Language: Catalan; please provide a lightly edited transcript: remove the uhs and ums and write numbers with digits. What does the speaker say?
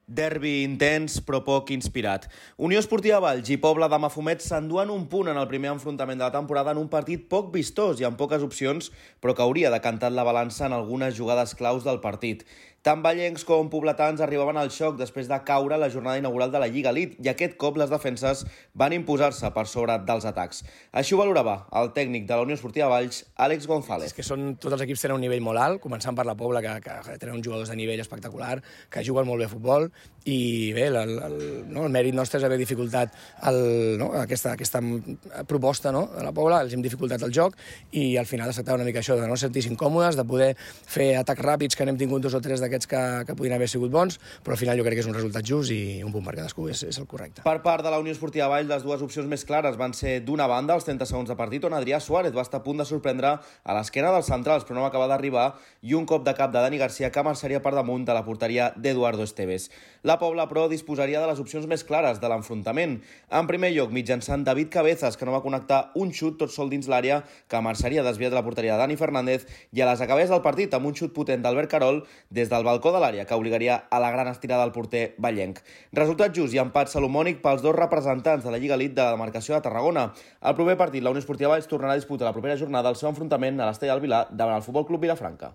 Derbi intens, però poc inspirat. Unió Esportiva Valls i Pobla de Mafumet s'enduen un punt en el primer enfrontament de la temporada en un partit poc vistós i amb poques opcions, però que hauria decantat la balança en algunes jugades claus del partit. Tant vallencs com pobletans arribaven al xoc després de caure la jornada inaugural de la Lliga Elite i aquest cop les defenses van imposar-se per sobre dels atacs. Així ho valorava el tècnic de la Unió Esportiva Valls, Àlex González. És que tots els equips tenen un nivell molt alt, començant per la Pobla, que tenen uns jugadors de nivell espectacular, que juguen molt bé a futbol, i bé, el mèrit nostre és haver dificultat aquesta proposta de la Pobla, els hem dificultat el joc i al final es tractava una mica això, de no sentir-se incòmodes, de poder fer atacs ràpids, que n'hem tingut 2 o 3 d'aquests que podien haver sigut bons, però al final jo crec que és un resultat just i un punt per cadascú és el correcte. Per part de la Unió Esportiva Valls, les dues opcions més clares van ser d'una banda, els 30 segons de partit, on Adrià Suárez va estar a punt de sorprendre a l'esquena dels centrals, però no va acabar d'arribar, i un cop de cap de Dani Garcia que marxaria per damunt de la porteria d'Eduardo Esteves. La Pobla, però, disposaria de les opcions més clares de l'enfrontament. En primer lloc, mitjançant David Cabezas, que no va connectar un xut tot sol dins l'àrea, que marxaria desviat de la porteria de Dani Fernández, i a les acabés del partit amb un xut potent d'Albert Carol des del balcó de l'àrea, que obligaria a la gran estirada del porter vallenc. Resultat just i empat salomònic pels dos representants de la Lliga Elite de la demarcació de Tarragona. Al proper partit, la Unió Esportiva Valls tornarà a disputar la propera jornada el seu enfrontament a l'Estadi del Vilar davant el Futbol Club Vilafranca.